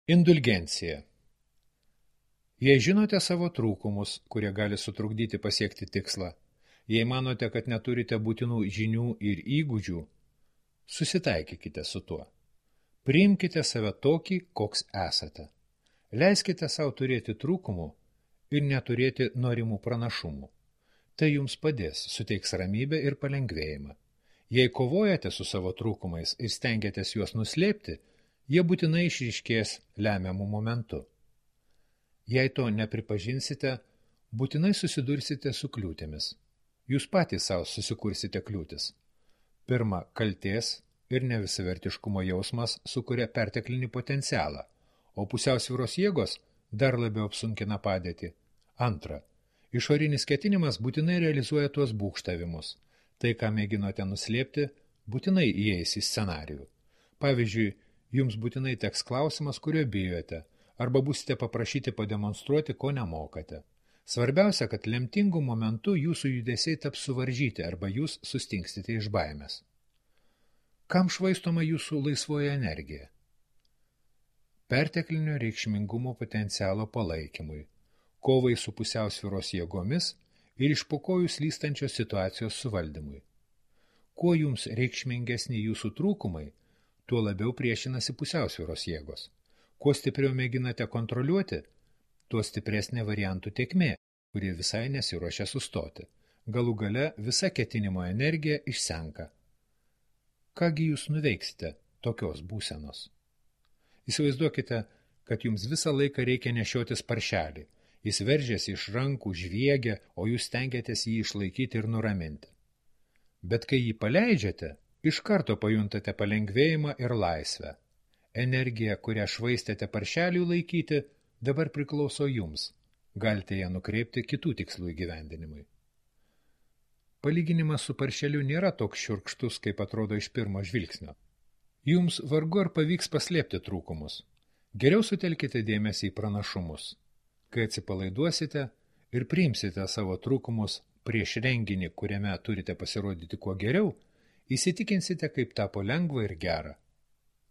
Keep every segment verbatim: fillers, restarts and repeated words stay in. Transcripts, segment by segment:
Indulgencija. Jei žinote savo trūkumus, kurie gali sutrukdyti pasiekti tikslą, jei manote, kad neturite būtinų žinių ir įgūdžių, susitaikykite su tuo. Priimkite save tokį, koks esate. Leiskite savo turėti trūkumų ir neturėti norimų pranašumų. Tai jums padės, suteiks ramybę ir palengvėjimą. Jei kovojate su savo trūkumais ir stengiatės juos nuslėpti, jie būtinai išryškės lemiamų momentu. Jei to nepripažinsite, būtinai susidursite su kliūtimis. Jūs patys savo susikursite kliūtis. Pirma, kaltės ir nevisavertiškumo jausmas sukuria perteklinį potencialą, o pusiausvyros jėgos dar labiau apsunkina padėtį. Antra, išorinis ketinimas būtinai realizuoja tuos būgštavimus. Tai, ką mėginote nuslėpti, būtinai įeis į scenarijų. Pavyzdžiui, jums būtinai teks klausimas, kurio bijote, arba būsite paprašyti pademonstruoti, ko nemokate. Svarbiausia, kad lemtingų momentų jūsų judesiai taps suvaržyti arba jūs sustingstite iš baimės. Kam švaistoma jūsų laisvoji energija? Perteklinio reikšmingumo potencialo palaikymui, kovai su pusiausvyros jėgomis ir iš po kojų slystančios situacijos suvaldymui. Kuo jums reikšmingesni jūsų trūkumai, tuo labiau priešinasi pusiausvyros jėgos. Kuo stipriau mėginate kontroliuoti, tuo stipresnė variantų tėkmė, kuri visai nesiruošia sustoti. Galų gale visa ketinimo energija išsenka. Kągi jūs nuveiksite tokios būsenos? Įsivaizduokite, kad jums visą laiką reikia nešiotis paršelį. Jis veržiasi iš rankų, žviegia, o jūs stengiatės jį išlaikyti ir nuraminti. Bet kai jį paleidžiate, iš karto pajuntate palengvėjimą ir laisvę. Energija, kurią švaistėte paršeliui laikyti, dabar priklauso jums. Galite ją nukreipti kitų tikslų įgyvendinimui. Palyginimas su paršeliu nėra toks šiurkštus, kaip atrodo iš pirmo žvilgsnio. Jums vargu ar pavyks paslėpti trūkumus. Geriau sutelkite dėmesį į pranašumus. Kai atsipalaiduosite ir priimsite savo trūkumus prieš renginį, kuriame turite pasirodyti kuo geriau, įsitikinsite, kaip tapo lengva ir gera.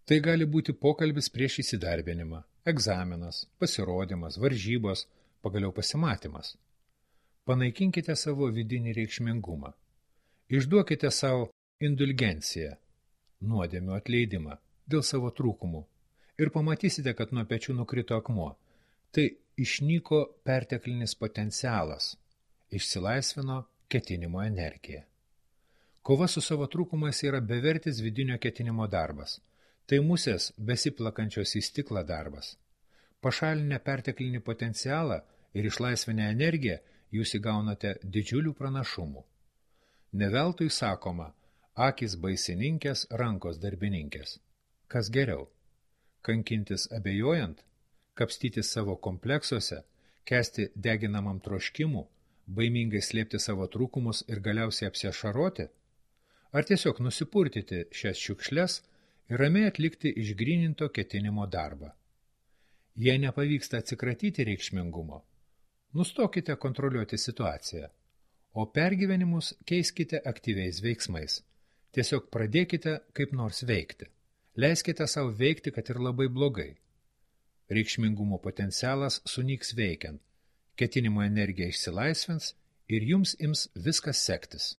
Tai gali būti pokalbis prieš įsidarbinimą, egzaminas, pasirodymas, varžybos, pagaliau pasimatymas. Panaikinkite savo vidinį reikšmingumą. Išduokite savo indulgenciją, nuodėmių atleidimą dėl savo trūkumų ir pamatysite, kad nuo pečių nukrito akmuo. Tai išnyko perteklinis potencialas, išsilaisvino ketinimo energija. Kova su savo trūkumais yra bevertis vidinio ketinimo darbas. Tai musės besiplakančios į stiklą darbas. Pašalinę perteklinį potencialą ir išlaisvinę energiją jūs įgaunate didžiulių pranašumų. Neveltui sakoma, akys baisininkės, rankos darbininkės. Kas geriau? Kankintis abejojant, kapstytis savo kompleksuose, kesti deginamam troškimų, baimingai slėpti savo trūkumus ir galiausiai apsiašaroti? Ar tiesiog nusipurtyti šias šiukšles ir ramiai atlikti išgryninto ketinimo darbą? Jei nepavyksta atsikratyti reikšmingumo, nustokite kontroliuoti situaciją, o pergyvenimus keiskite aktyviais veiksmais. Tiesiog pradėkite kaip nors veikti. Leiskite savo veikti, kad ir labai blogai. Reikšmingumo potencialas sunyks veikiant, ketinimo energija išsilaisvins ir jums ims viskas sektis.